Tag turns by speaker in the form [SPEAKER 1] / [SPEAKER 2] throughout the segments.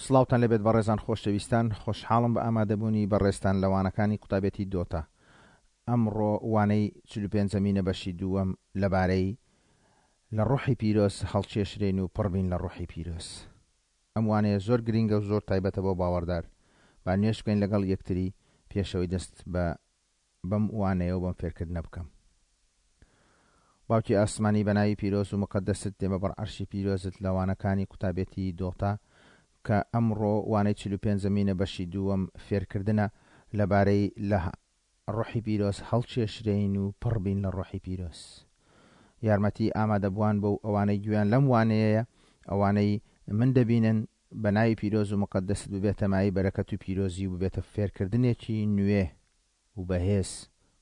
[SPEAKER 1] سڵاوتان لێبێت بەڕێزان خۆشەویستان خۆشحاڵم بە ئامادەبوونی بەڕێزتان لە وانەکانی قوتابێتی دۆتا ئەمڕۆ وانەی چلوپێنجەمینە بەشی دووەم لەبارەی لە ڕۆحی پیرۆز هەڵکێشرێین و پڕبین لە ڕۆحی پیرۆز ئەم وانەیە زۆر گرینگە و زۆر تایبەتە بۆ باوەڕدار با نوێژ بکەین لەگەڵ یەکتری پێشەوەی دەست بە بەم وانەیە و بەم فێرکردنە بکەم. باوکی ئاسمانی بە ناوی پیرۆز و موقەدەست دێمە بەر عەرشی پیرۆزت لە وانەکانی قوتابێتی دۆتا کە ئەمڕۆ وانەی چلوپێنجەمینە بەشی دووەم فێرکردنە لەبارەی لە ڕۆحی پیرۆز هەڵکێشرێین و پڕ بین لە ڕۆحی پیرۆز. یارمەتی ئامادەبووان بۆ و ئەوانەی گوێیان لەم وانەیەیە ئەوانەی من دەبینن بە ناوی پیرۆز و موقەدەست ببێتە مایەی بەرەکەت و پیرۆزی و ببێتە فێرکردنێکی نوێ و بەهێز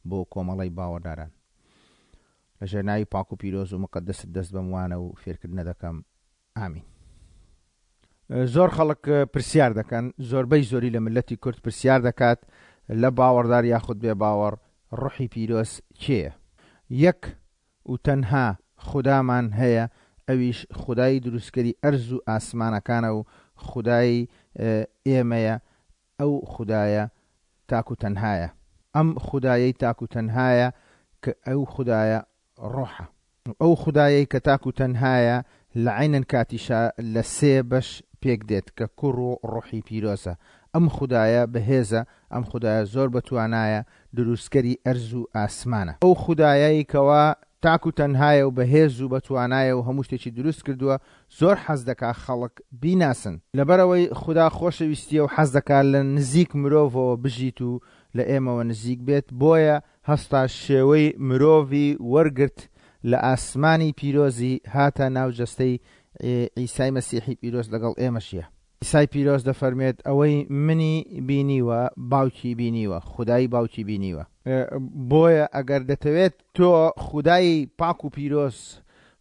[SPEAKER 1] بۆ کۆمەڵەی باوەڕداران. لە ژێر ناوی پاک و پیرۆز و موقەدەست دەست بەم وانە و فێرکردنە دەکەم. ئامین. زۆر خەڵک پرسیار دەکەن، زۆربەی زۆری لە مللەتی کورد پرسیار دەکات لە باوەڕدار یاخود بێ باوەڕ ڕۆحی پیرۆز کێیە؟ یەک و تەنها خودامان هەیە ئەویش خودای دروستکەری ئەرز و ئاسمانەکانە و خودای ئێمەیە ئەو خودایە تاک و تەنهایە. ئەم خودایەی تاک و تەنهایە کە ئەو خودایە ڕۆحە. ئەو خودایەی کە تاک و تەنهایە لە عەینەن کاتیشا لە سێ بەش پێک دێت کە کوڕ و ڕۆحی پیرۆزە. ئەم خودایە بەهێزە، ئەم خودایە زۆر بەتوانایە، دروستکەری ئەرز و ئاسمانە. ئەو خودایەی کەوا تاک و تەنهایە و بەهێز و بەتوانایە و هەموو شتێکی دروست کردووە، زۆر حەز دەکا خەڵک بیناسن. لەبەرئەوەی خودا خۆشەویستییە و حەز دەکا لە نزیک مرۆڤەوە بژیت و لە ئێمەوە نزیک بێت، بۆیە هەستا شێوەی مرۆڤی وەرگرت، لە ئاسمانی پیرۆزی هاتە ناو جەستەی عیسای مەسیحی پیرۆز لەگەڵ ئێمە ژیا. عیسای پیرۆز دەفەرموێت، ئەوەی منی بینیوە، باوکی بینیوە، خودای باوکی بینیوە. بۆیە ئەگەر دەتەوێت تۆ خودای پاک و پیرۆز،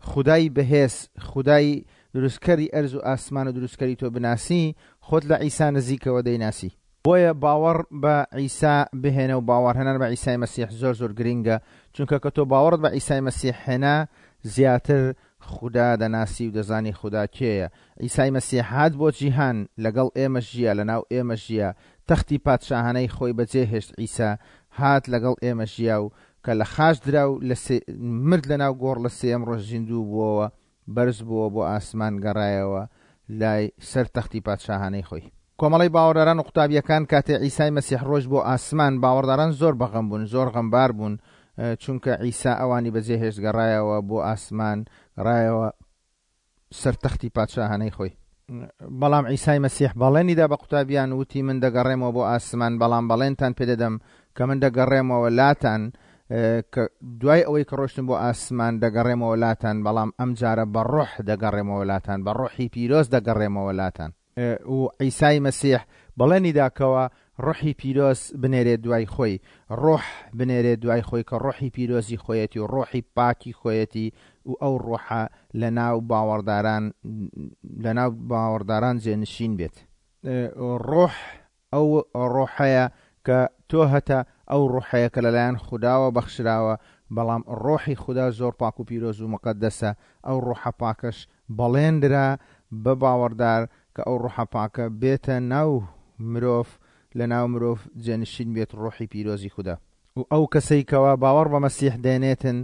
[SPEAKER 1] خودای بەهێز، خودای دروستکەری ئەرز و ئاسمان و دروستکەری تۆ بناسی، خۆت لە عیسا نزیکەوە دەیناسی. بۆیە باوەڕ بە عیسا بهێنە و باوەڕهێنان بە عیسای مەسیح زۆر زۆر گرینگە، چونکە کە تۆ باوەڕت بە عیسای مەسیح هێنا، زیاتر خودا دەناسی و دەزانی خودا کێیە. عیسای مەسیح هات بۆ جیهان، لەگەڵ ئێمە ژیا، لەناو ئێمە ژیا، تەختی پادشاهانەی خۆی بەجێ هێشت عیسا هات لەگەڵ ئێمە ژیا و کە لە خاچ درا و لە سێ مرد لەناو گۆڕ لە سێیەم ڕۆژ زیندوو بووەوە بەرز بووەوە بۆ ئاسمان گەڕایەوە لای سەر تەختی پادشاهانەی خۆی. کۆمەڵەی باوەڕداران و قوتابییەکان کاتێ عیسای مەسیح ڕۆیشت بۆ ئاسمان باوەڕداران زۆر بەغەم بوون زۆر غەمبار بوون چونکە عیسا ئەوانی بەجێ هێشت گەڕایەوە بۆ ئاسمان گەڕایەوە سەر تەختی پادشاهانەی خۆی. بەڵام عیسای مەسیح بەڵێنی دا بە قوتابیان وتی من دەگەڕێمەوە بۆ ئاسمان بەڵام بەڵێنتان پێدەدەم کە من دەگەڕێمەوە لاتان کە دوای ئەوەی کە ڕۆشتم بۆ ئاسمان دەگەڕێمەوە لاتان بەڵام ئەم جارە بە ڕۆح دەگەڕێمەوە لاتان بە ڕۆحی پیرۆز دەگەڕێمەوە لاتان. و عیسای مەسیح بەڵێنی دا کەوا ڕۆحی پیرۆز بنێرێت دوای خۆی، ڕۆح بنێرێت دوای خۆی کە ڕۆحی پیرۆزی خۆیەتی و ڕۆحی پاکی خۆیەتی و ئەو ڕۆحە لە ناو باوەڕداران لە ناو باوەڕداران جێنشین بێت. ڕۆح ئەو ڕۆحەیە کە تۆ هەتە، ئەو ڕۆحەیە کە لەلایەن خوداوە بەخشراوە، بەڵام ڕۆحی خودا زۆر پاک و پیرۆز و موقەدەسە، ئەو ڕۆحە پاکەش بەڵێن درا بە باوەڕدار کە ئەو ڕۆحە پاکە بێتە ناو مرۆڤ، لە ناو مرۆڤ جێنشین بێت ڕۆحی پیرۆزی خودا. و ئەو کەسەی کەوا باوەڕ بە مەسیح دێنێتن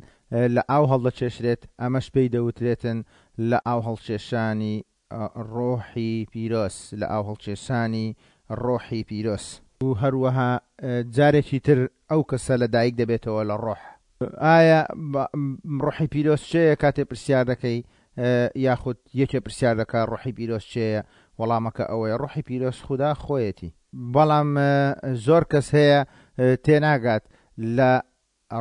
[SPEAKER 1] لە ئاو هەڵدەکێشرێت، ئەمەش پێی دەوترێتن لە ئاو هەڵکێشانی ڕۆحی پیرۆز، لە ئاوهەڵکێشانی ڕۆحی پیرۆز. و هەروەها جارێکی تر ئەو کەسە لە دایک دەبێتەوە لە ڕۆح. ئایا ڕۆحی پیرۆز چێیە؟ کاتێ پرسیار دەکەی یاخود یەکێ پرسیار دەکا ڕۆحی پیرۆز چێیە؟ وەڵامەکە ئەوەیە ڕۆحی پیرۆز خودا خۆیەتی. بەڵام زۆر کەس هەیە تێناگات لە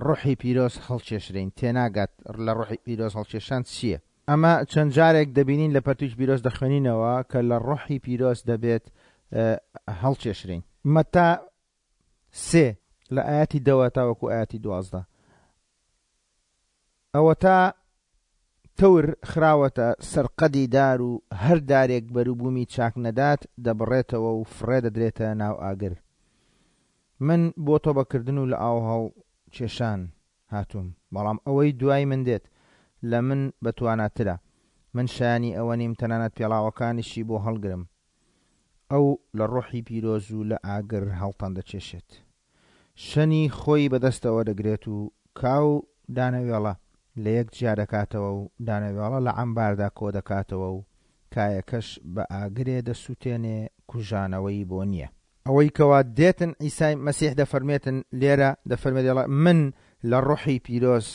[SPEAKER 1] ڕۆحی پیرۆز هەڵکێشرێین، تێناگات لە ڕۆحی پیرۆز هەڵکێشان چییە. ئەمە چەند جارێک دەبینین لە پەرتوکی پیرۆز دەخوێنینەوە کە لە ڕۆحی پیرۆز دەبێت هەڵکێشرێین. مەتا سێ لە ئایەتی دەوە تاوەکو ئایەتی 12 ئەوەتا تەور خراوەتە سەر قەدی دار و هەر دارێک بەروبوومی چاک نەدات دەبڕێتەوە و فڕێ دەدرێتە ناو ئاگر. من بۆ تۆبەکردن و لەئاوهەڵکێشان هاتووم، بەڵام ئەوەی دوای من دێت، لە من بەتواناترە. من شایانی ئەوە نیم تەنانەت پێڵاوەکانیشی بۆ هەڵگرم. ئەو لە ڕۆحی پیرۆز و لە ئاگر هەڵتان دەکێشێت. شەنی خۆی بەدەستەوە دەگرێت و کا و دانەوێڵە لە یەک جیا دەکاتەوە و دانەوێڵە لە عەمباردا کۆ دەکاتەوە و کایەکەش بە ئاگرێ دەسووتێنێ کوژانەوەی بۆ نییە. ئەوەی کەوا دێتن عیسای مەسیح دەفەرمێتن لێرە دەفەرمێت دەڵێ من لە ڕۆحی پیرۆز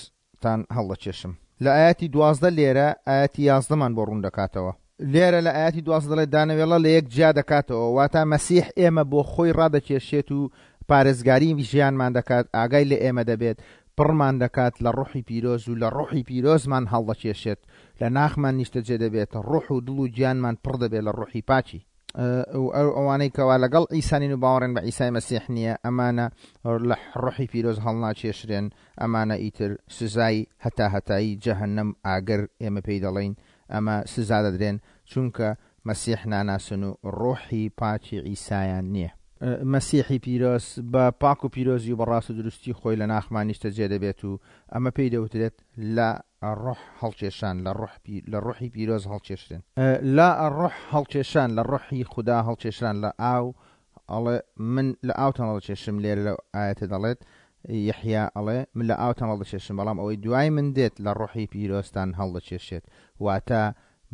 [SPEAKER 1] تان هەڵدەکێشم. لە ئایەتی 12 لێرە ئایەتی یازدەمان بۆ ڕوون دەکاتەوە. لێرە لە ئایەتی 12 دەڵێت دانەوێڵە لە یەک جیا دەکاتەوە، واتە مەسیح ئێمە بۆ خۆی ڕادەکێشێت و پارێزگاری ژیانمان دەکات، ئاگای لە ئێمە دەبێت، پڕمان دەکات لە ڕۆحی پیرۆز و لە ڕۆحی پیرۆزمان هەڵدەکێشێت، لە ناخمان نیشتەجێ دەبێت، ڕۆح و دڵ و گیانمان پڕ دەبێت لە ڕۆحی پاکی. و ئەو ئەوانەی کەوا لەگەڵ عیسا نین و باوەڕیان بە عیسای مەسیح نییە، ئەمانە لە ڕۆحی پیرۆز هەڵناکێشرێن، ئەمانە ئیتر سزای هەتاهەتایی جەهەنەم ئاگر ئێمە پێی دەڵێین ئەمە سزا دەدرێن چونکە مەسیح ناناسن و ڕۆحی پاکی عیسایان نییە. مەسیحی پیرۆز بە پاک و پیرۆزی و بە ڕاست و دروستی خۆی لە ناخمان نیشتەجێ دەبێت و ئەمە پێی دەوترێت لە ڕۆح هەڵکێشان، لە ڕۆح لە ڕۆحی پیرۆز هەڵکێشرێن. لە ڕۆح هەڵکێشان، لە ڕۆحی خودا هەڵکێشران، لە ئاو ئەڵێ من لە ئاوتان هەڵدەکێشم، لێرە لەو ئایەتە دەڵێت یەحیا ئەڵێ من لە ئاوتان هەڵدەکێشم بەڵام ئەوەی دوای من دێت لە ڕۆحی پیرۆزتان هەڵدەکێشێت، واتە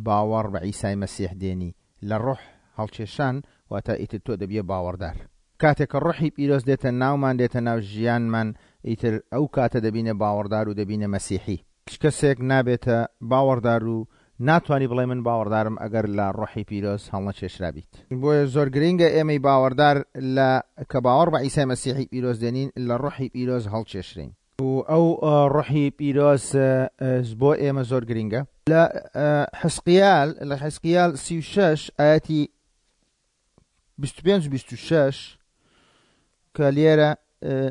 [SPEAKER 1] باوەڕ بە عیسای مەسیح دێنی، لە ڕۆح هەڵکێشان واتە ئیتر تۆ دەبیە باوەڕدار. کاتێک کە ڕۆحی پیرۆز دێتە ناومان دێتە ناو ژیانمان ئیتر ئەو کاتە دەبینە باوەڕدار و دەبینە مەسیحی. هیچ کەسێک نابێتە باوەڕدار و ناتوانی بڵێی من باوەڕدارم ئەگەر لە ڕۆحی پیرۆز هەڵنەکێشرابیت. بۆیە زۆر گرینگە ئێمەی باوەڕدار لە کە باوەڕ بە عیسای مەسیحی پیرۆز دێنین لە ڕۆحی پیرۆز هەڵکێشرێین. و ئەو ڕۆحی پیرۆز بۆ ئێمە زۆر گرینگە. لە حزقیال لە حزقیال 36 ئایەتی 25 و 26 کە لێرە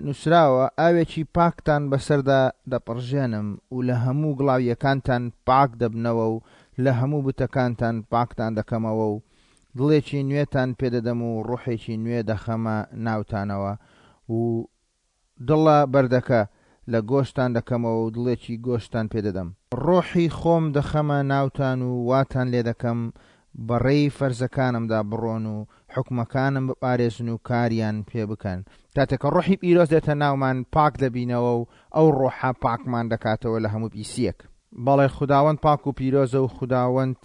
[SPEAKER 1] نووسراوە ئاوێکی پاکتان بەسەردا دەپڕژێنم و لە هەموو گڵاوییەکانتان پاک دەبنەوە و لە هەموو بتەکانتان پاکتان دەکەمەوە و دڵێکی نوێتان پێدەدەم و ڕۆحێکی نوێ دەخەمە ناوتانەوە و دڵە بەردەکە لە گۆشتان دەکەمەوە و دڵێکی گۆشتتان پێ دەدەم. ڕۆحی خۆم دەخەمە ناوتان و واتان لێ دەکەم بە ڕێی فەرزەکانمدا بڕۆن و حوکمەکانم بپارێزن و کاریان پێ بکەن. کاتێک کە ڕۆحی پیرۆز دێتە ناومان پاک دەبینەوە و ئەو ڕۆحە پاکمان دەکاتەوە لە هەموو پیسییەک. بەڵێ خوداوەند پاک و پیرۆزە و خوداوەند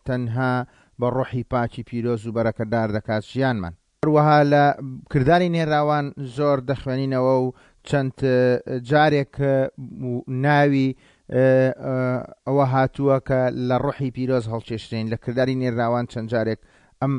[SPEAKER 1] تەنها بە ڕۆحی پاکی پیرۆز و بەرەکەتدار دەکات ژیانمان. هەروەها لە کرداری نێراوان زۆر دەخوێنینەوە و چەند جارێک ناوی ئەوە هاتووە کە لە ڕۆحی پیرۆز هەڵکێشرێین، لە کرداری نێراوان چەند جارێک ئەم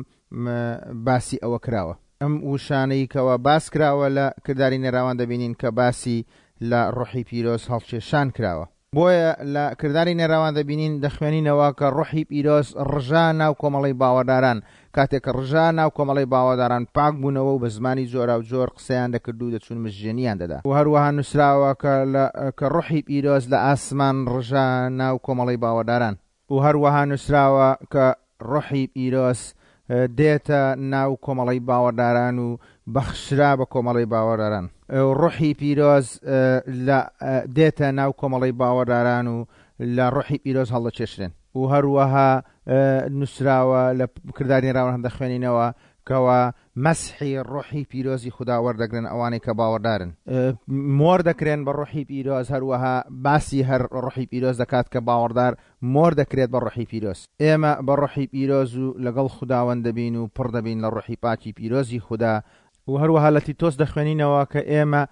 [SPEAKER 1] باسی ئەوە کراوە. ئەم وشانەی کەوا باس کراوە لە کرداری نێراوان دەبینین کە باسی لە ڕۆحی پیرۆز هەڵکێشان کراوە. بۆیە لە کرداری نێراوان دەبینین دەخوێنینەوە کە ڕۆحی پیرۆز ڕژا ناو کۆمەڵەی باوەڕداران، کاتێک کە ڕژا ناو کۆمەڵەی باوەڕداران پاک بوونەوە و بە زمانی جۆراوجۆر قسەیان دەکرد و دەچوون مژژێنیان دەدا. و هەروەها نووسراوە کە لە کە ڕۆحی پیرۆز لە ئاسمان ڕژا ناو کۆمەڵەی باوەڕداران. و هەروەها نووسراوە کە ڕۆحی پیرۆز دێتە ناو کۆمەڵەی باوەڕداران و بەخشرا بە کۆمەڵەی باوەڕداران. ڕۆحی پیرۆز لە دێتە ناو کۆمەڵەی باوەڕداران و لە ڕۆحی پیرۆز هەڵدەکێشرێن. و هەروەها نووسراوە لە کرداری نێراوان دەخوێنینەوە کەوا مەسحی ڕۆحی پیرۆزی خودا وەردەگرن ئەوانەی کە باوەڕدارن. مۆر دەکرێن بە ڕۆحی پیرۆز، هەروەها باسی هەر ڕۆحی پیرۆز دەکات کە باوەڕدار مۆر دەکرێت بە ڕۆحی پیرۆز. ئێمە بە ڕۆحی پیرۆز و لەگەڵ خوداوەند دەبین و پڕ دەبین لە ڕۆحی پاکی پیرۆزی خودا. و هەروەها لە تیتۆس دەخوێنینەوە کە ئێمە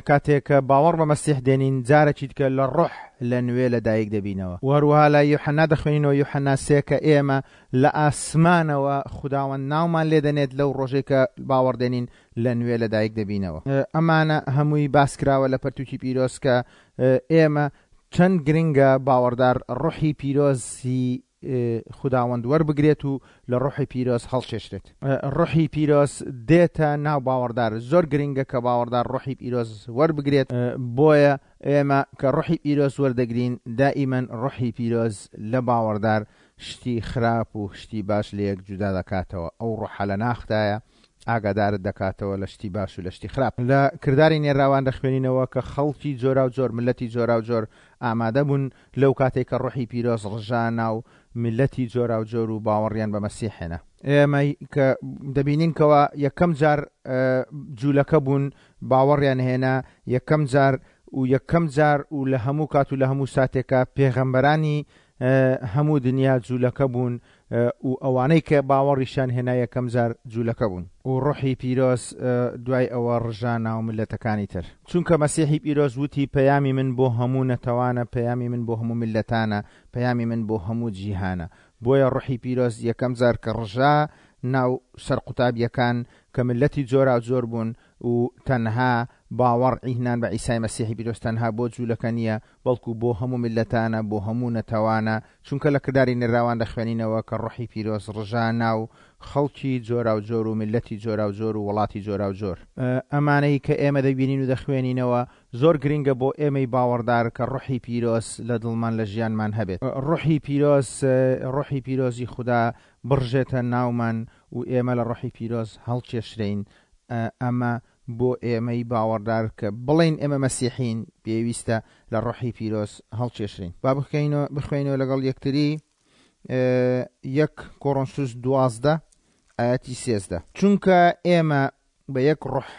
[SPEAKER 1] کاتێک کە باوەڕ بە مەسیح دێنین جارێکی دیکە لە ڕۆح لە نوێ لە دایک دەبینەوە. و هەروەها لە یوحەنا دەخوێنینەوە یوحەنا سێ کە ئێمە لە ئاسمانەوە خوداوەند ناومان لێ دەنێت لەو ڕۆژەی کە باوەڕ دێنین لە نوێ لە دایک دەبینەوە. ئەمانە هەمووی باس کراوە لە پەرتوکی پیرۆز کە ئێمە چەند گرنگە باوەڕدار ڕۆحی پیرۆزی خوداوەند وەربگرێت و لە ڕۆحی پیرۆز هەڵکێشرێت. ڕۆحی پیرۆز دێتە ناو باوەڕدار، زۆر گرنگە کە باوەڕدار ڕۆحی پیرۆز وەربگرێت، بۆیە ئێمە کە ڕۆحی پیرۆز وەردەگرین دائیمەن ڕۆحی پیرۆز لە باوەڕدار شتی خراپ و شتی باش لەیەک جودا دەکاتەوە، ئەو ڕۆحە لە ناختایە ئاگادارت دەکاتەوە لە شتی باش و لە شتی خراپ. لە کرداری نێراوان دەخوێنینەوە کە خەڵکی جۆراوجۆر، میللەتی جۆراوجۆر ئامادە بوون لەو کاتەی کە ڕۆحی پیرۆز ڕژا ناو میللەتی جۆراوجۆر و باوەڕیان بە مەسیح هێنا. ئێمە کە دەبینین کەوا یەکەم جار جوولەکە بوون باوەڕیان هێنا، یەکەم جار و یەکەم جار و لە هەموو کات و لە هەموو ساتێکا پێغەمبەرانی هەموو دنیا جوولەکە بوون و ئەوانەی کە باوەڕیشیان هێنا یەکەم جار جوولەکە بوون. و ڕۆحی پیرۆز دوای ئەوە ڕژا ناو میللەتەکانی تر. چونکە مەسیحی پیرۆز وتی پەیامی من بۆ هەموو نەتەوانە، پەیامی من بۆ هەموو میللەتانە، پەیامی من بۆ هەموو جیهانە. بۆیە ڕۆحی پیرۆز یەکەم جار کە ڕژا ناو سەر قوتابیەکان کە میللەتی جۆراوجۆر بوون و تەنها باوەڕ ئیهنان بە عیسای مەسیحی پیرۆز تەنها بۆ جوولەکە نییە بەڵکو بۆ هەموو میللەتانە بۆ هەموو نەتەوانە چونکە لە کرداری نێراوان دەخوێنینەوە کە ڕۆحی پیرۆز ڕژا ناو خەڵکی جۆراوجۆر و میللەتی جۆراوجۆر و وڵاتی جۆراوجۆر. ئەمانەی کە ئێمە دەبینین و دەخوێنینەوە زۆر گرنگە بۆ ئێمەی باوەڕدار کە ڕۆحی پیرۆز لە دڵمان لە ژیانمان هەبێت. ڕۆحی پیرۆز، ڕۆحی پیرۆزی خودا بڕژێتە ناومان و ئێمە لە ڕۆحی پیرۆز هەڵکێشرێین. ئەمە بۆ ئێمەی باوەڕدار کە بڵێین ئێمە مەسیحین پێویستە لە ڕۆحی پیرۆز هەڵکێشرێین. با بخوێینەوە لەگەڵ یەکتری یەک کۆرۆنسوس 12 ئایەتی 13. چونکە ئێمە بە یەک ڕۆح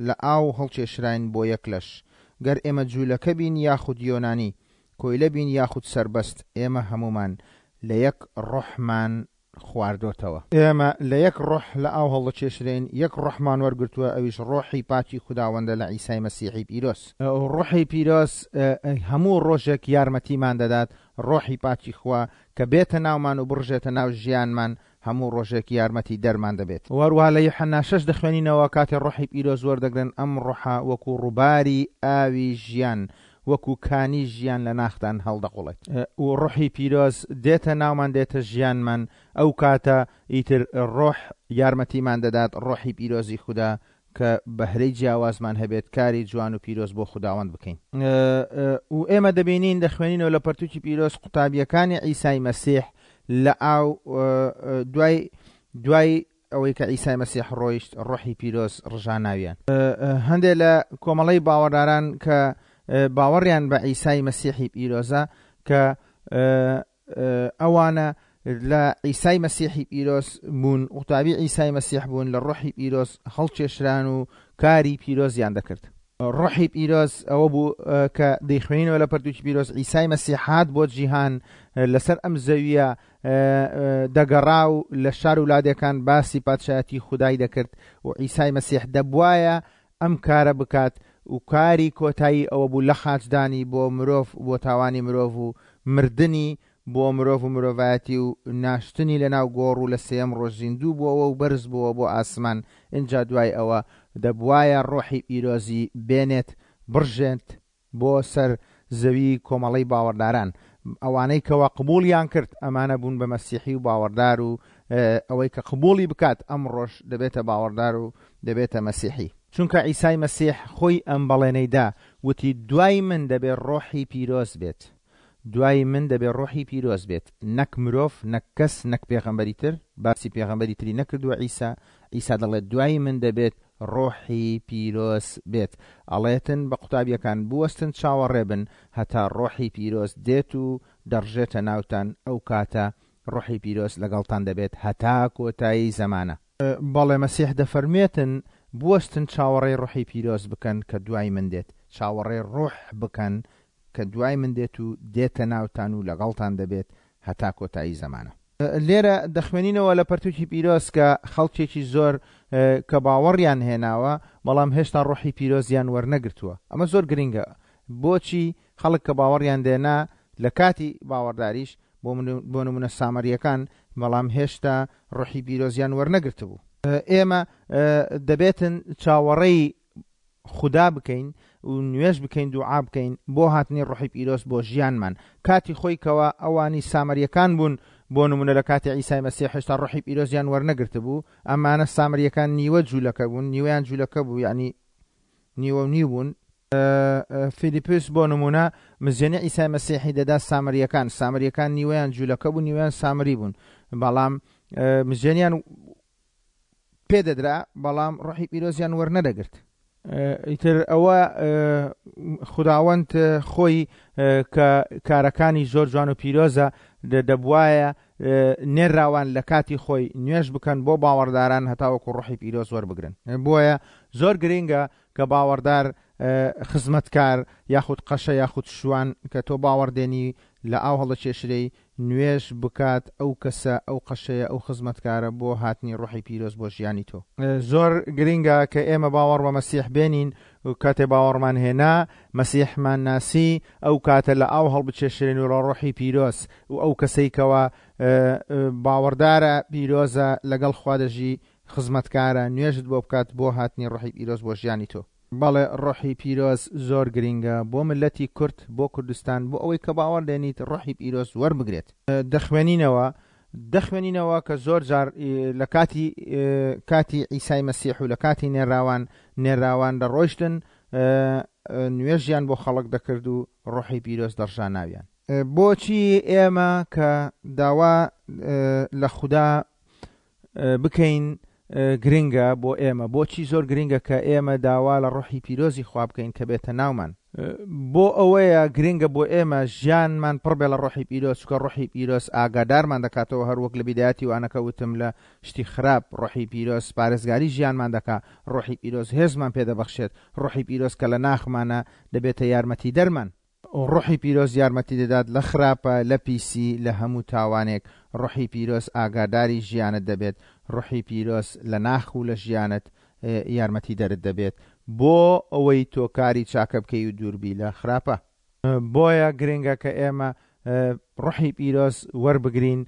[SPEAKER 1] لە ئاو هەڵکێشراین بۆ یەک لەش، گەر ئێمە جوولەکە بین یاخود یۆنانی، کۆیلە بین یاخود سەربەست، ئێمە هەموومان لە یەک ڕۆحمان خواردۆتەوە. ئێمە لە یەک ڕۆح لە ئاو هەڵدەکێشرێین، یەک ڕۆحمان وەرگرتووە، ئەویش ڕۆحی پاکی خوداوەندە لە عیسای مەسیحی پیرۆز. ڕۆحی پیرۆز هەموو ڕۆژێک یارمەتیمان دەدات، ڕۆحی پاکی خوا کە بێتە ناومان و بڕژێتە ناو ژیانمان، هەموو ڕۆژێک یارمەتی دەرمان دەبێت. وەروەها لە یوحەنا شەش دەخوێنینەوە کاتێ ڕۆحی پیرۆز وەردەگرن ئەم ڕۆحە وەکو ڕووباری ئاوی ژیان وەکو کانی ژیان لە ناختان هەڵدەقوڵێت. و ڕۆحی پیرۆز دێتە ناومان دێتە ژیانمان ئەو کاتە ئیتر ڕۆح یارمەتیمان دەدات ڕۆحی پیرۆزی خودا کە بەهرەی جیاوازمان هەبێت کاری جوان و پیرۆز بۆ خوداوەند بکەین. و ئێمە دەبینین دەخوێنینەوە لە پەرتوکی پیرۆز قوتابیەکانی عیسای مەسیح لە ئاو دوای دوای ئەوەی کە عیسای مەسیح ڕۆیشت ڕۆحی پیرۆز ڕژا ناویان. هەندێک لە کۆمەڵەی باوەڕداران کە باوەڕیان بە عیسای مەسیحی پیرۆزە کە ئەوانە لە عیسای مەسیحی پیرۆز بوون، قوتابی عیسای مەسیح بوون، لە ڕۆحی پیرۆز هەڵکێشران و کاری پیرۆزیان دەکرد. ڕۆحی پیرۆز ئەوە بوو کە دەیخوێنینەوە لە پەرتوکی پیرۆز، عیسای مەسیح هات بۆ جیهان، لەسەر ئەم زەوییە دەگەڕا و لە شار و لادێکان باسی پادشایەتی خودای دەکرد و عیسای مەسیح دەبوایە ئەم کارە بکات و کاری کۆتایی ئەوە بوو لە خاچدانی بۆ مرۆڤ بۆ تاوانی مرۆڤ و مردنی بۆ مرۆڤ و مرۆڤایەتی و ناشتنی لە ناو گۆڕ و لە سێیەم ڕۆژ زیندوو بۆوە و بەرز بۆوە بۆ ئاسمان ئینجا دوای ئەوە دەبوایە ڕۆحی پیرۆزی بێنێت بڕژێت بۆ سەر زەوی کۆمەڵەی باوەڕداران ئەوانەی کەوا قبوڵیان کرد ئەمانە بوون بە مەسیحی و باوەڕدار و ئەوەی کە قبوڵی بکات ئەمڕۆش دەبێتە باوەڕدار و دەبێتە مەسیحی. چونکە عیسای مەسیح خۆی ئەم بەڵێنەی دا وتی دوای من دەبێ ڕۆحی پیرۆز بێت دوای من دەبێ ڕۆحی پیرۆز بێت نەک مرۆڤ نەک کەس نەک پێغەمبەری تر باسی پێغەمبەری تری نەکردووە عیسا عیسا دەڵێت دوای من دەبێت ڕۆحی پیرۆز بێت ئەڵێتن بە قوتابیەکان بوەستن چاوەڕێ بن هەتا ڕۆحی پیرۆز دێت و دەڕژێتە ناوتان ئەو کاتە ڕۆحی پیرۆز لەگەڵتان دەبێت هەتا کۆتایی زەمانە. بەڵێ مەسیح دەفەرموێتن بوەستن چاوەڕێی ڕۆحی پیرۆز بکەن کە دوای من دێت چاوەڕێی ڕۆح بکەن کە دوای من دێت و دێتە ناوتان و لەگەڵتان دەبێت هەتا کۆتایی زەمانە. لێرە دەخوێنینەوە لە پەرتوکی پیرۆز کە خەڵکێکی زۆر کە باوەڕیان هێناوە بەڵام هێشتا ڕۆحی پیرۆزیان وەرنەگرتووە. ئەمە زۆر گرنگە. بۆچی خەڵک کە باوەڕیان دێنا لە کاتی باوەڕداریش بۆ نمونە سامریەکان بەڵام هێشتا ڕۆحی پیرۆزیان وەرنەگرتبوو. ئێمە دەبێتن چاوەڕێی خودا بکەین و نوێژ بکەین دوعا بکەین بۆ هاتنی ڕۆحی پیرۆز بۆ ژیانمان کاتی خۆی کەوا ئەوانی سامریەکان بوون بۆ نمونە لە کاتی عیسای مەسیح هێشتا ڕۆحی پیرۆزیان وەرنەگرتبوو ئەمانە سامریەکان نیوە جوولەکە بوون نیوەیان جوولەکە بوو یعنی نیوە و نیو بوون فیلیپس بۆ نمونە مزێنی عیسای مەسیحی دەدا سامریەکان سامریەکان نیوەیان جوولەکە بوون نیوەیان سامری بوون بەڵام مزێنیان پێ دەدرا بەڵام ڕۆحی پیرۆزیان وەرنەدەگرت. ئیتر ئەوە خوداوەند خۆی کە کارەکانی زۆر جوان و پیرۆزە دەبوایە نێرراوان لە کاتی خۆی نوێژ بکەن بۆ باوەڕداران هەتاوەکو ڕۆحی پیرۆز وەربگرن. بۆیە زۆر گرینگە کە باوەڕدار خزمەتکار یاخود قەشە یاخود شوان کە تۆ باوەڕ دێنی لە ئاو هەڵدەکێشرێی نوێژ بکات ئەو کەسە ئەو قەشەیە ئەو خزمەتکارە بۆ هاتنی ڕۆحی پیرۆز بۆ ژیانی تۆ. زۆر گرینگە کە ئێمە باوەڕ بە مەسیح بێنین و کاتێ باوەڕمان هێنا مەسیحمان ناسی ئەو کاتە لە ئاو هەڵبکێشرێن و لە ڕۆحی پیرۆز و ئەو کەسەی کەوا باوەڕدارە پیرۆزە لەگەڵ خوا دەژی خزمەتکارە نوێژت بۆ بکات بۆ هاتنی ڕۆحی پیرۆز بۆ ژیانی تۆ. بەڵێ ڕۆحی پیرۆز زۆر گرینگە بۆ مللەتی کورد بۆ کوردستان بۆ ئەوەی کە باوەڕ دێنیت ڕۆحی پیرۆز وەربگرێت. دەخوێنینەوە دەخوێنینەوە کە زۆر جار لە کاتی کاتی عیسای مەسیح و لە کاتی نێراوان نێراوان دەڕۆیشتن نوێژیان بۆ خەڵک دەکرد و ڕۆحی پیرۆز دەڕژا ناویان. بۆچی ئێمە کە داوا لە خودا بکەین گرنگە بۆ ئێمە؟ بۆچی زۆر گرنگە کە ئێمە داوا لە ڕۆحی پیرۆزی خوا بکەین کە بێتە ناومان؟ بۆ ئەوەیە گرنگە بۆ ئێمە ژیانمان پڕ بێ لە ڕۆحی پیرۆز، چونکە ڕۆحی پیرۆز ئاگادارمان دەکاتەوە، هەر وەک لە بیدایەتی وانەکە وتم لە شتی خراپ ڕۆحی پیرۆز پارێزگاری ژیانمان دەکا، ڕۆحی پیرۆز هێزمان پێ دەبەخشێت، ڕۆحی پیرۆز کە لە ناخمانە دەبێتە یارمەتیدەرمان. ڕۆحی پیرۆز یارمەتی دەدات لە خراپە، لە پیسی، لە هەموو تاوانێک، ڕۆحی پیرۆز ئاگاداری ژیانت دەبێت، ڕۆحی پیرۆز لە ناخ و لە ژیانت یارمەتیدەرت دەبێت بۆ ئەوەی تۆ کاری چاکە بکەی و دووربی لە خراپە. بۆیە گرنگە کە ئێمە ڕۆحی پیرۆز وەربگرین،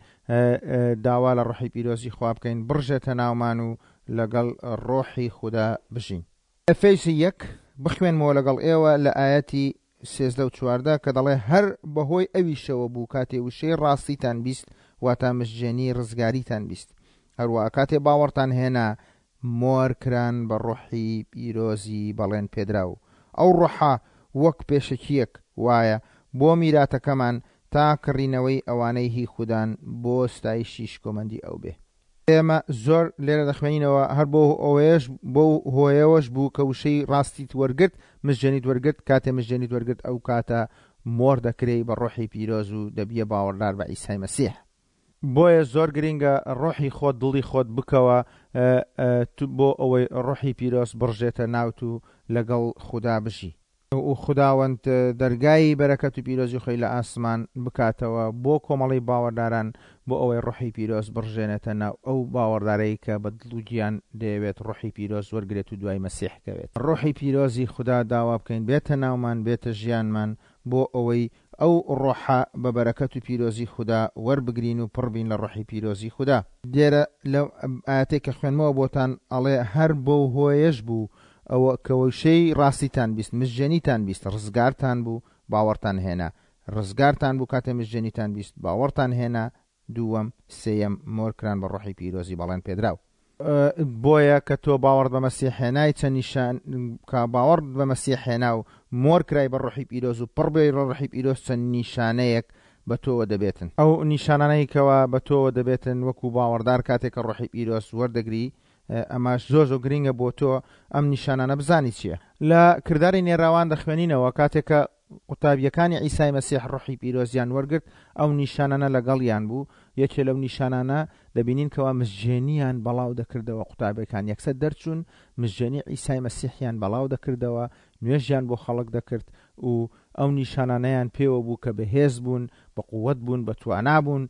[SPEAKER 1] داوا لە ڕۆحی پیرۆزی خوا بکەین بڕژێتە ناومان و لەگەڵ ڕۆحی خودا بژین. ئەفێسی یەک، بخوێنمەوە لەگەڵ ئێوە لە ئایەتی 13 و 14 کە دەڵێ هەر بەهۆی ئەویشەوە بوو کاتێ وشەی ڕاستیتان بیست، واتە مژجێنی ڕزگاریتان بیست. هەروەها کاتێ باوەڕتان هێنا، مۆر کران بە ڕۆحی پیرۆزی بەڵێن پێدراو. ئەو ڕۆحە وەک پێشەکییەک وایە بۆ میراتەکەمان تا کڕینەوەی ئەوانەی هی خودان بۆ ستایشی شکۆمەندی ئەو بێ. ئێمە زۆر لێرە دەخوێنینەوە، هەر بۆ ئەوەیەش بەو هۆیەوەش بوو کە وشەی ڕاستیت وەرگرت، مژێنیت وەرگرت، کاتێ مژێنیت وەرگرت ئەو کاتە مۆر دەکرێی بە ڕۆحی پیرۆز و دەبیە باوەڕدار بە عیسای مەسیح. بۆیە زۆر گرینگە ڕۆحی خۆت دڵی خۆت بکەوە بۆ ئەوەی ڕۆحی پیرۆز بڕژێتە ناوت و لەگەڵ خودا بژی. و خوداوەند دەرگای بەرەکەت و پیرۆزی خۆی لە ئاسمان بکاتەوە بۆ کۆمەڵی باوەڕداران بۆ ئەوەی ڕۆحی پیرۆز بڕژێنێتە ناو ئەو باوەڕدارەی کە بە دڵ و گیان دەیەوێت ڕۆحی پیرۆز وەرگرێت و دوای مەسیح کەوێت. ڕۆحی پیرۆزی خودا داوا بکەین بێتە ناومان بێتە ژیانمان بۆ ئەوەی ئەو ڕۆحە بە بەرەکەت و پیرۆزی خودا وەربگرین و پڕ بین لە ڕۆحی پیرۆزی خودا. لێرە لەو ئایەتەی کە خوێندمەوە بۆتان ئەڵێ هەر بەو هۆیەش بوو ئەوە کە وشەی ڕاستیتان بیست، مژجێنیتان بیست، ڕزگارتان بوو، باوەڕتان هێنا. ڕزگارتان بوو کاتێ مژجێنیتان بیست، باوەڕتان هێنا، دووەم، سێیەم، مۆر کران بە ڕۆحی پیرۆزی بەڵێن پێدراو. بۆیە کە تۆ باوەڕت بە مەسیح هێنای چەند نیشان کە باوەڕت بە مەسیح هێنا و مۆر کرای بە ڕۆحی پیرۆز و پڕ بووی لە ڕۆحی پیرۆز چەند نیشانەیەک بە تۆوە دەبێتن. ئەو نیشانانەی کەوا بە تۆوە دەبێتن وەکو باوەڕدار کاتێک کە ڕۆحی پیرۆز وەردەگری ئەمەش زۆر زۆر گرینگە بۆ تۆ ئەم نیشانانە بزانی چیە. لە کرداری نێراوان دەخوێنینەوە کاتێک کە قوتابییەکانی عیسای مەسیح ڕۆحی پیرۆزیان وەرگرت، ئەو نیشانانە لەگەڵیان بوو، یەکێ لەو نیشانانە دەبینین کەوا مزگێنییان بەڵاو دەکردەوە، قوتابیەکان یەکسەر دەرچوون مزگێنی عیسای مەسیحیان بەڵاو دەکردەوە، نوێژیان بۆ خەڵک دەکرد و ئەو نیشانانەیان پێوە بوو کە بەهێز بوون، بە قووەت بوون، بە توانا بوون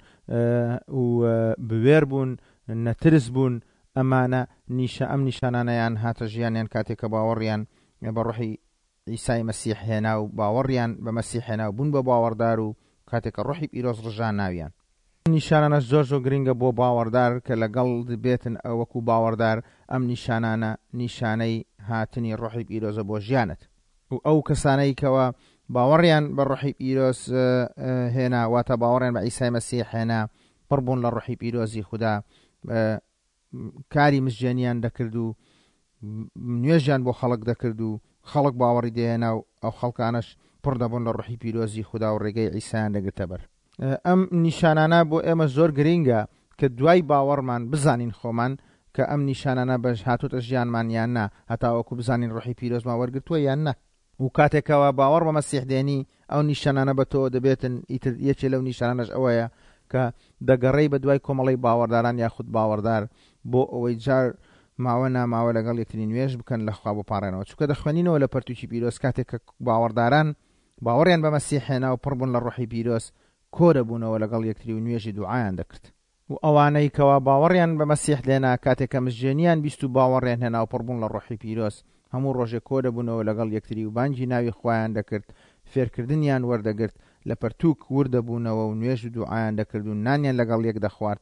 [SPEAKER 1] و بوێر بوون، نەترس بوون، ئەمانە نیشە ئەم نیشانانەیان هاتە ژیانیان کاتێک کە باوەڕیان بە ڕۆحی عیسای مەسیح هێنا و باوەڕیان بە مەسیح هێنا و بوون بە باوەڕدار و کاتێک کە ڕۆحی پیرۆز ڕژا ناویان. ئەم نیشانانەش زۆر زۆر گرنگە بۆ باوەڕدار کە لەگەڵ بێتن وەکو باوەڕدار ئەم نیشانانە نیشانەی هاتنی ڕۆحی پیرۆزە بۆ ژیانت. و ئەو کەسانەی کەوا باوەڕیان بە ڕۆحی پیرۆز هێنا واتە باوەڕیان بە عیسای مەسیح هێنا پڕ بوون لە ڕۆحی پیرۆزی خودا کاری مزگێنیان دەکرد و نوێژیان بۆ خەڵک دەکرد و خەڵک باوەڕی دەهێنا و ئەو خەڵکانەش پڕ دەبوون لە ڕۆحی پیرۆزی خودا و ڕێگەی عیسایان دەگرتە بەر. ئەم نیشانانە بۆ ئێمە زۆر گرینگە کە دوای باوەڕمان بزانین خۆمان کە ئەم نیشانانە بەش هاتۆتە ژیانمان یان نا، هەتاوەکو بزانین ڕۆحی پیرۆزمان وەرگرتووە یان نا. و کاتێک کەوا باوەڕ بە مەسیح دێنی ئەو نیشانانە بە تۆوە دەبێتن، ئیتر یەکێ لەو نیشانانەش ئەوەیە کە دەگەڕێی بە دوای کۆمەڵەی باوەڕداران یاخود باوەڕدار بۆ ئەوەی جار ماوە ناماوە لەگەڵ یەکتری نوێژ بکەن لە خوا بپاڕێنەوە چونکە دەخوێنینەوە لە پەرتوکی پیرۆز کاتێک کە باوەڕداران باوەڕیان بە مەسیح هێنا و پڕ بوون لە ڕۆحی پیرۆز کۆ دەبوونەوە لەگەڵ یەکتری و نوێژی دوعایان دەکرد. و ئەوانەی کەوا باوەڕیان بە مەسیح دێنا کاتێک کە مزگێنیان بیست و باوەڕیان هێنا و پڕ بوون لە ڕۆحی پیرۆز هەموو ڕۆژێک کۆ دەبوونەوە لەگەڵ یەکتری و بانگی ناوی خوایان دەکرد فێرکردنیان وەردەگرت لە پەرتووک ورد دەبوونەوە و نوێژ و دوعایان دەکرد و نانیان لەگەڵ یەک دەخوارد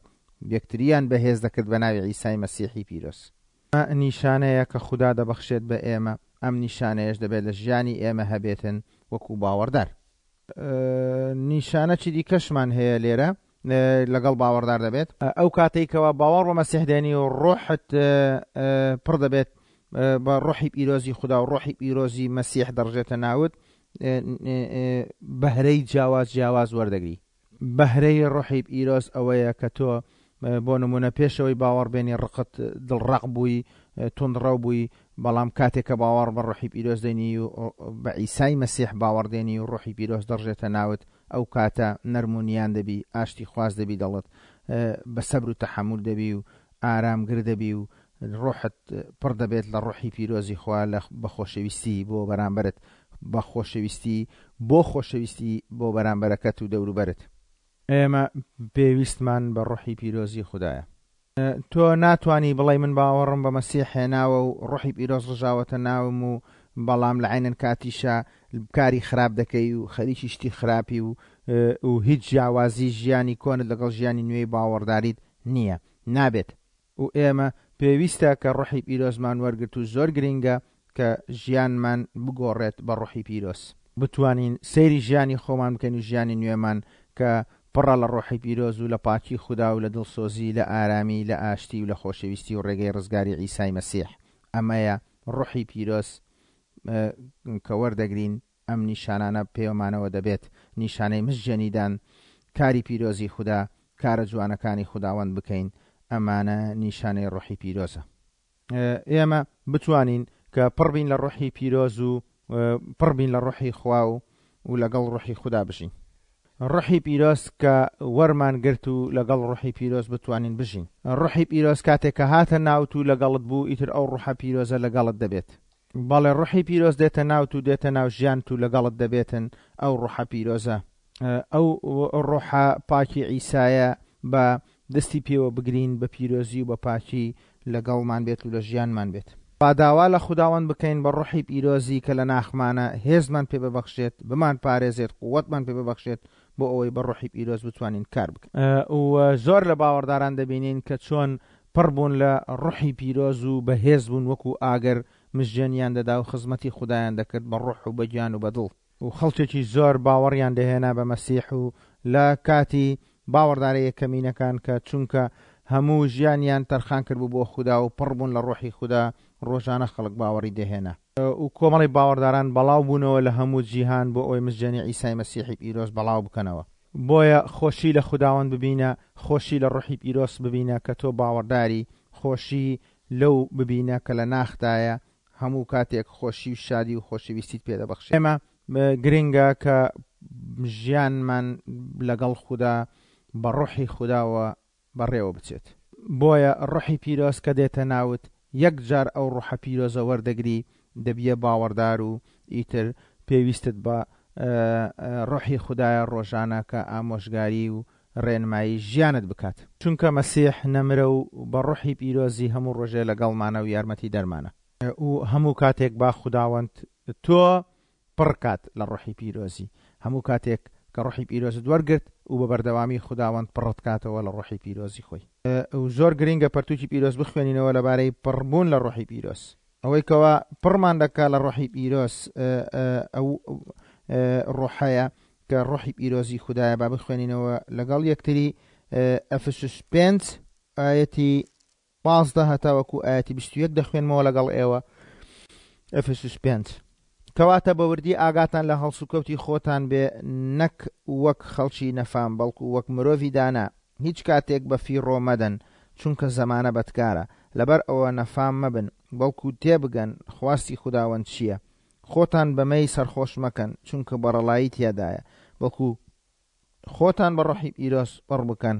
[SPEAKER 1] یەکتریان بەهێز دەکرد بە ناوی عیسای مەسیحی پیرۆز. ئەمە نیشانەیە کە خودا دەبەخشێت بە ئێمە، ئەم نیشانەیەش دەبێت لە ژیانی ئێمە هەبێتن وەکو باوەڕدار. نیشانەکی دیکەشمان هەیە لێرە لەگەڵ باوەڕدار دەبێت. ئەو کاتەی کەوا باوەڕ بە مەسیح دێنی و ڕۆحت پڕ دەبێت بە ڕۆحی پیرۆزی خودا و ڕۆحی پیرۆزی مەسیح دەڕژێتە ناوت، بەهرەی جیاواز جیاواز وەردەگری. بەهرەی ڕۆحی پیرۆز ئەوەیە کە تۆ بۆ نمونە پێشەوەی باوەڕ بێنی ڕقت دڵڕەق بووی توندڕەو بووی بەڵام کاتێک کە باوەڕ بە ڕۆحی پیرۆز دێنی و بە عیسای مەسیح باوەڕ دێنی و ڕۆحی پیرۆز دەڕژێتە ناوت ئەو کاتە نەرم و نیان دەبی ئاشتی خواز دەبی دەڵت بە سەبر و تەحەمول دەبی و ئارامگر دەبی و ڕۆحت پڕ دەبێت لە ڕۆحی پیرۆزی خوا لە بە خۆشەویستی بۆ بەرامبەرت بە خۆشەویستی بۆ خۆشەویستی بۆ بەرامبەرەکەت و دەوروبەرت. ئێمە پێویستمان بە ڕۆحی پیرۆزی خودایە. تۆ ناتوانی بڵێی من باوەڕم بە مەسیح هێناوە و ڕۆحی پیرۆز ڕژاوەتە ناوم و بەڵام لە عەینەن کاتیشا کاری خراپ دەکەی و خەریکی شتی خراپی و و هیچ جیاوازی ژیانی کۆنت لەگەڵ ژیانی نوێی باوەڕداریت نییە. نابێت. و ئێمە پێویستە کە ڕۆحی پیرۆزمان وەرگرت و زۆر گرینگە کە ژیانمان بگۆڕێت بە ڕۆحی پیرۆز. بتوانین سەیری ژیانی خۆمان بکەین و ژیانی نوێمان کە پڕە لە ڕۆحی پیرۆز و لە پاکی خودا و لە دڵسۆزی، لە ئارامی، لە ئاشتی و لە خۆشەویستی و ڕێگەی ڕزگاری عیسای مەسیح. ئەمەیە ڕۆحی پیرۆز کە وەردەگرین ئەم نیشانانە پێوەمانەوە دەبێت، نیشانەی مزگێنیدان، کاری پیرۆزی خودا، کارە جوانەکانی خوداوەند بکەین، ئەمانە نیشانەی ڕۆحی پیرۆزە. ئێمە بتوانین کە پڕ بین لە ڕۆحی پیرۆز و پڕ بین لە ڕۆحی خوا و و لەگەڵ ڕۆحی خودا بژین. ڕۆحی پیرۆز کە وەرمان گرت و لەگەڵ ڕۆحی پیرۆز بتوانین بژین. ڕۆحی پیرۆز کاتێک کە هاتە ناوت و لەگەڵت بوو ئیتر ئەو ڕۆحە پیرۆزە لەگەڵت دەبێت. بەڵێ ڕۆحی پیرۆز دێتە ناوت و دێتە ناو ژیانت و لەگەڵت دەبێتن ئەو ڕۆحە پیرۆزە. ئەو ڕۆحە پاکی عیسایە بە دەستی پێوە بگرین بە پیرۆزی و بە پاکی لەگەڵمان بێت و لە ژیانمان بێت. با داوا لە خوداوەند بکەین بە ڕۆحی پیرۆزی کە لە ناخمانە هێزمان پێ ببەخشێت، بمانپارێزێت، قوەتمان پێ ببەخشێت بۆ ئەوەی بە ڕۆحی پیرۆز بتوانین کار بکەین. و زۆر لە باوەڕداران دەبینین کە چۆن پڕ بوون لە ڕۆحی پیرۆز و بەهێز بوون وەکو ئاگر مژێنیان دەدا و خزمەتی خودایان دەکرد بە ڕۆح و بە گیان و بە دڵ. و خەڵکێکی زۆر باوەڕیان دەهێنا بە مەسیح و لە کاتی باوەڕدارە یەکەمینەکان کە چونکە هەموو ژیانیان تەرخان کردبوو بۆ خودا و پڕ بوون لە ڕۆحی خودا ڕۆژانە خەڵک باوەڕی دەهێنا. و کۆمەڵی باوەڕداران بەڵاو بوونەوە لە هەموو جیهان بۆ ئەوەی مزگێنی عیسای مەسیحی پیرۆز بەڵاو بکەنەوە. بۆیە خۆشی لە خوداوەند ببینە، خۆشی لە ڕۆحی پیرۆز ببینە کە تۆ باوەڕداری، خۆشی لەو ببینە کە لە ناختایە، هەموو کاتێک خۆشی و شادی و خۆشەویستیت پێ دەبەخشێت. ئێمە گرنگە کە ژیانمان لەگەڵ خودا بە ڕۆحی خوداوە بەڕێوە بچێت. بۆیە ڕۆحی پیرۆز کە دێتە ناوت یەک جار ئەو ڕۆحە پیرۆزە وەردەگری دەبیە باوەڕدار و ئیتر پێویستت بە ڕۆحی خودایە ڕۆژانە کە ئامۆژگاری و ڕێنمایی ژیانت بکات. چونکە مەسیح نەمرە و بە ڕۆحی پیرۆزی هەموو ڕۆژێ لەگەڵمانە و یارمەتی دەرمانە. و هەموو کاتێک با خوداوەند تۆ پڕ کات لە ڕۆحی پیرۆزی. هەموو کاتێک کە ڕۆحی پیرۆزت وەرگرت و بە بەردەوامی خوداوەند پڕت کاتەوە لە ڕۆحی پیرۆزی خۆی. و زۆر گرینگە پەرتوکی پیرۆز بخوێنینەوە لەبارەی پڕبوون لە ڕۆحی پیرۆز. ئەوەی کەوا پڕمان دەکا لە ڕۆحی پیرۆز ئەو ڕۆحەیە کە ڕۆحی پیرۆزی خودایە. با بخوێنینەوە لەگەڵ یەکتری ئەفسوس 5 ئایەتی 15 هەتاوەکو ئایەتی 21 دەخوێنمەوە لەگەڵ ئێوە. ئەفسوس 5 کەواتە بە وردی ئاگاتان لە هەڵسوکەوتی خۆتان بێ، نەک وەک خەڵکی نەفام، بەڵکو وەک مرۆڤی دانا. هیچ کاتێک بە فیڕۆ مەدەن، چونکە زەمانە بەدکارە. لەبەر ئەوە نەفام مەبن، بەڵکو تێبگەن خواستی خوداوەند چییە. خۆتان بە مەی سەرخۆش مەکەن، چونکە بەڕەڵایی تیادایە، بەڵکو خۆتان بە ڕۆحی پیرۆز پڕ بکەن،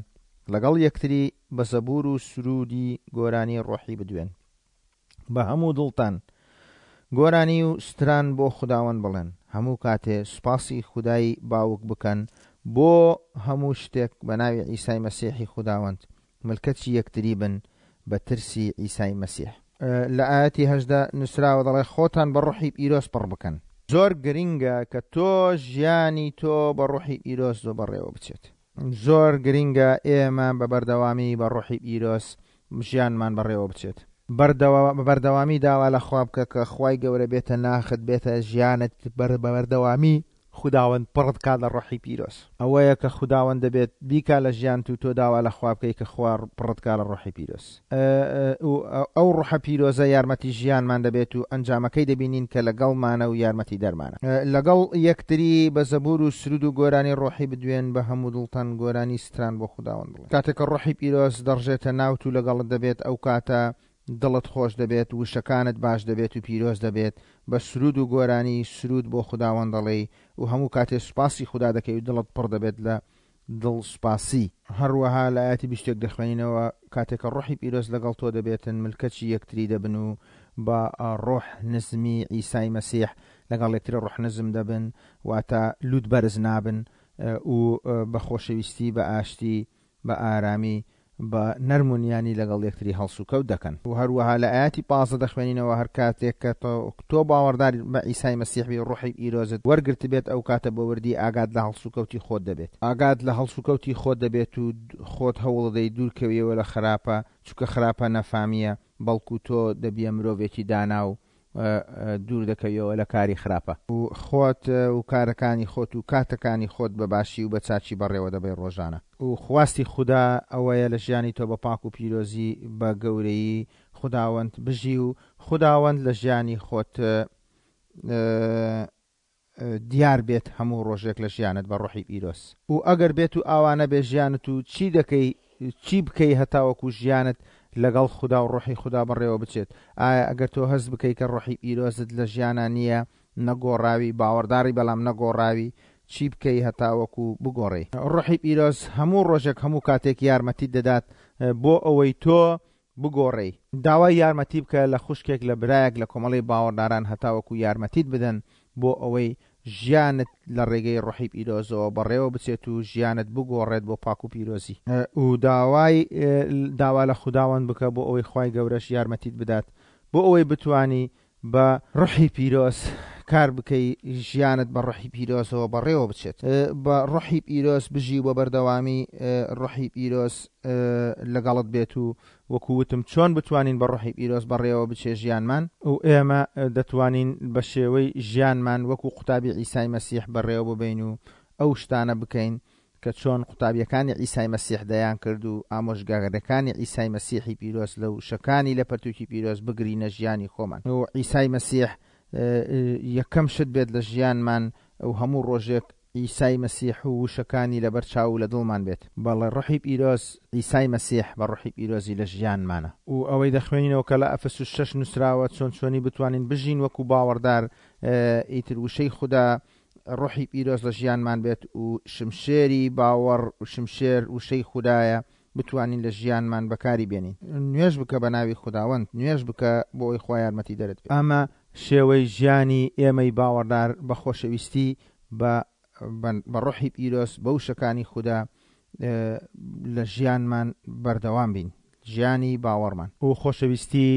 [SPEAKER 1] لەگەڵ یەکتری بە زەبوور و سروودی گۆرانی ڕۆحی بدوێن. بە هەموو دڵتان گۆرانی و ستران بۆ خوداوەند بڵێن، هەموو کاتێ سوپاسی خودای باوک بکەن بۆ هەموو شتێک بە ناوی عیسای مەسیحی خوداوەند، ملکەچی یەکتری بن بە ترسی عیسای مەسیح. لە ئایەتی 18 نووسراوە دەڵێ خۆتان بە ڕۆحی پیرۆز پڕ بکەن. زۆر گرینگە کە تۆ ژیانی تۆ بە ڕۆحی پیرۆز بەڕێوە بچێت. زۆر گرینگە ئێمە بە بەردەوامی بە ڕۆحی پیرۆز ژیانمان بەڕێوە بچێت. بە بەردەوامی داوا لە خوا بکە کە خوای گەورە بێتە ناخت بێتە ژیانت بە بەردەوامی خوداوەند پڕت کا لە ڕۆحی پیرۆز. ئەوەیە کە خوداوەند دەبێت بیکا لە ژیانت و تۆ داوا لە خوا بکەی کە خوا پڕت کا لە ڕۆحی پیرۆز. ئەو ڕۆحە پیرۆزە یارمەتی ژیانمان دەبێت و ئەنجامەکەی دەبینین کە لەگەڵمانە و یارمەتی دەرمانە. لەگەڵ یەکتری بە زەبوور و سروود و گۆرانی ڕۆحی بدوێن، بە هەموو دڵتان گۆرانی ستران بۆ خوداوەند بڵێن. کاتێک کە ڕۆحی پیرۆز دەڕژێتە ناوت و لەگەڵت دەبێت، ئەو کاتە دڵت خۆش دەبێت، وشەکانت باش دەبێت و پیرۆز دەبێت، بە سروود و گۆرانی سروود بۆ خوداوەند دەڵێی و هەموو کاتێ سوپاسی خودا دەکەی و دڵت پڕ دەبێت لە دڵ سوپاسی. هەروەها لە ئایەتی 21 دەخوێنینەوە، کاتێ کە ڕۆحی پیرۆز لەگەڵ تۆ دەبێتن، ملکەچی یەکتری دەبن و بە ڕۆح نزمی عیسای مەسیح لەگەڵ یەکتری ڕۆح نزم دەبن، واتە لووت بەرز نابن و بە خۆشەویستی، بە ئاشتی، بە ئارامی، بە نەرم و نیانی لەگەڵ یەکتری هەڵسوکەوت دەکەن. و هەروەها لە ئایەتی 15 دەخوێنینەوە، هەر کاتێک کە تۆ باوەڕدار بە عیسای مەسیح بی، ڕۆحی پیرۆزت وەرگرتبێت، ئەو کاتە بە وردی ئاگات لە هەڵسوکەوتی خۆت دەبێت. ئاگات لە هەڵسوکەوتی خۆت دەبێت و خۆت هەوڵدەدەی دوورکەویەوە لە خراپە، چونکە خراپە نەفامییە، بەڵکو تۆ دەبیە مرۆڤێکی دانا و دوور دەکەویەوە لە کاری خراپە. و خۆت و کارەکانی خۆت و کاتەکانی خۆت بە باشی و بە چاکی بەڕێوە دەبەی ڕۆژانە. و خواستی خودا ئەوەیە لە ژیانی تۆ بە پاک و پیرۆزی بە گەورەیی خوداوەند بژی و خوداوەند لە ژیانی خۆت دیار بێت هەموو ڕۆژێک لە ژیانت بە ڕۆحی پیرۆز. و ئەگەر بێت و ئاوا نەبێ ژیانت و چی دەکەی چی بکەی هەتاوەکو ژیانت لەگەڵ خودا و ڕۆحی خودا بەڕێوە بچێت؟ ئایا ئەگەر تۆ هەست بکەی کە ڕۆحی پیرۆزت لە ژیانا نییە نەگۆڕاوی باوەڕداری بەڵام نەگۆڕاوی چی بکەی هەتاوەکو بگۆڕێی؟ ڕۆحی پیرۆز هەموو ڕۆژێک هەموو کاتێک یارمەتیت دەدات بۆ ئەوەی تۆ بگۆڕێی. داوای یارمەتی بکە لە خوشکێک لە برایەک لە کۆمەڵەی باوەڕداران هەتاوەکو یارمەتیت بدەن بۆ ئەوەی ژیانت لە ڕێگەی ڕۆحی پیرۆزەوە بەڕێوە بچێت و ژیانت بگۆڕێت بۆ پاک و پیرۆزی. و داوای داوا لە خوداوەند بکە بۆ ئەوەی خوای گەورەش یارمەتیت بدات بۆ ئەوەی بتوانی بە ڕۆحی پیرۆز کار بکەی ژیانت بە ڕۆحی پیرۆزەوە بەڕێوە بچێت. بە ڕۆحی پیرۆز بژی و بە بەردەوامی ڕۆحی پیرۆز لەگەڵت بێت و وەکو وتم چۆن بتوانین بە ڕۆحی پیرۆز بەڕێوە بچێ ژیانمان و ئێمە دەتوانین بە شێوەی ژیانمان وەکو قوتابی عیسای مەسیح بەڕێوە ببەین و ئەو شتانە بکەین کە چۆن قوتابیەکانی عیسای مەسیح دەیان کرد و ئامۆژگاریەکانی عیسای مەسیحی پیرۆز لە وشەکانی لە پەرتوکی پیرۆز بگرینە ژیانی خۆمان و عیسای مەسیح یەکەم شت بێت لە ژیانمان و هەموو ڕۆژێک عیسای مەسیح و وشەکانی لەبەر چاو و لە دڵمان بێت. بەڵێ ڕۆحی پیرۆز عیسای مەسیح بە ڕۆحی پیرۆزی لە ژیانمانە. و ئەوەی دەخوێنینەوە کە لە ئەفەسوس شەش نوسراوە چۆن چۆنی بتوانین بژین وەکو باوەڕدار ئیتر وشەی خودا ڕۆحی پیرۆز لە ژیانمان بێت و شمشێری باوەڕ و شمشێر وشەی خودایە بتوانین لە ژیانمان بەکاری بێنین. نوێژ بکە بە ناوی خوداوەند، نوێژ بکە بۆ ئەوەی خوا یارمەتی دەرت بێت. ئەمە شێوەی ژیانی ئێمەی باوەڕدار بە خۆشەویستی بە بە ڕۆحی پیرۆز بە وشەکانی خودا لە ژیانمان بەردەوام بین ژیانی باوەڕمان. و خۆشەویستی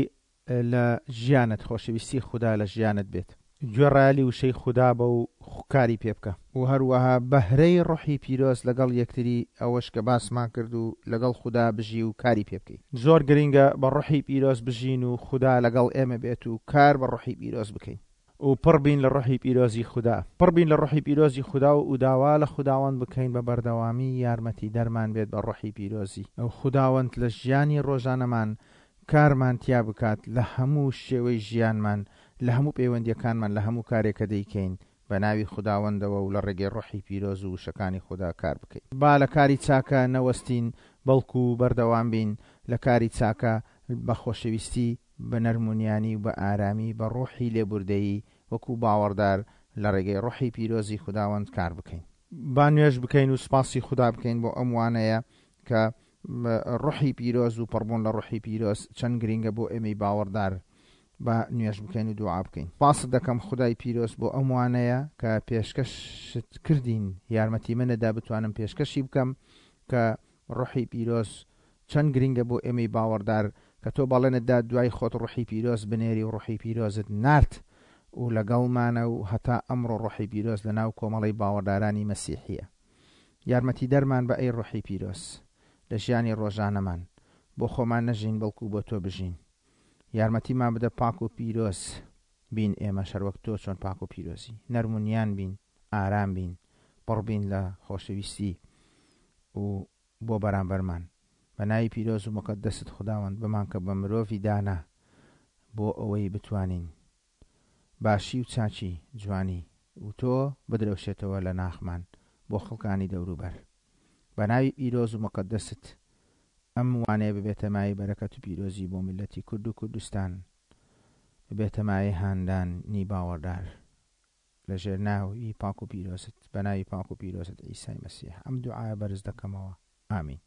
[SPEAKER 1] لە ژیانت خۆشەویستی خودا لە ژیانت بێت. گوێڕایەلی وشەی خودا بە و کاری پێ بکە. و هەروەها بەهرەی ڕۆحی پیرۆز لەگەڵ یەکتری ئەوەش کە باسمان کرد و لەگەڵ خودا بژی و کاری پێ بکەی. زۆر گرینگە بە ڕۆحی پیرۆز بژین و خودا لەگەڵ ئێمە بێت و کار بە ڕۆحی پیرۆز بکەین. و پڕ بین لە ڕۆحی پیرۆزی خودا. پڕ بین لە ڕۆحی پیرۆزی خودا و داوا لە خوداوەند بکەین بە بەردەوامی یارمەتی دەرمان بێت بە ڕۆحی پیرۆزی. و خوداوەند لە ژیانی ڕۆژانەمان کارمان تیا بکات لە هەموو شێوەی ژیانمان، لە هەموو پەیوەندیەکانمان، لە هەموو کارێک کە دەیکەین بە ناوی خوداوەندەوە و لە ڕێگەی ڕۆحی پیرۆز و وشەکانی خودا کار بکەین. با لە کاری چاکە نەوەستین، بەڵکو بەردەوام بین لە کاری چاکە بە خۆشەویستی، بە نەرمونیانی و بە ئارامی، بە ڕۆحی لێبوردەیی وەکو باوەڕدار لە ڕێگەی ڕۆحی پیرۆزی خوداوەند کار بکەین. با نوێژ بکەین و سوپاسی خودا بکەین بۆ ئەم وانەیە کە ڕۆحی پیرۆز و پڕبوون لە ڕۆحی پیرۆز چەند گرینگە بۆ ئێمەی باوەڕدار. با نوێژ بکەین و دوعا بکەین. سوپاست دەکەم خودای پیرۆز بۆ ئەم وانەیە کە پێشکەشت کردین، یارمەتی منت دا بتوانم پێشکەشی بکەم کە ڕۆحی پیرۆز چەند گرینگە بۆ ئێمەی باوەڕدار کە تۆ بەڵێنت دا دوای خۆت ڕۆحی پیرۆز بنێری و ڕۆحی پیرۆزت نارد و لەگەڵمانە و هەتا ئەمڕۆ ڕۆحی پیرۆز لەناو کۆمەڵەی باوەڕدارانی مەسیحیە. یارمەتیدەرمان بە ئەی ڕۆحی پیرۆز لە ژیانی ڕۆژانەمان بۆ خۆمان نەژین بەڵکو بۆ تۆ بژین. یارمەتیمان بدە پاک و پیرۆز بین ئێمەش هەروەک تۆ چۆن پاک و پیرۆزی. نەرم و نیان بین، ئارام بین، پڕ بین لە خۆشەویستی و بۆ بەرامبەرمان. بە ناوی پیرۆز و موقەدەست خوداوەند بمانکە بە مرۆڤی دانا بۆ ئەوەی بتوانین باشی و چاکی، جوانی، و تۆ بدرەوشێتەوە لە ناخمان بۆ خەڵکانی دەوروبەر. بە ناوی پیرۆز و موقەدەست ئەم وانەیە ببێتە مایەی بەرەکەت و پیرۆزی بۆ میللەتی کورد و کوردستان، ببێتە مایەی هاندانی باوەڕدار لە ژێر ناوی پاک و پیرۆزت، بە ناوی پاک و پیرۆزت عیسای مەسیح ئەم دوعایە بەرز دەکەمەوە. ئامین.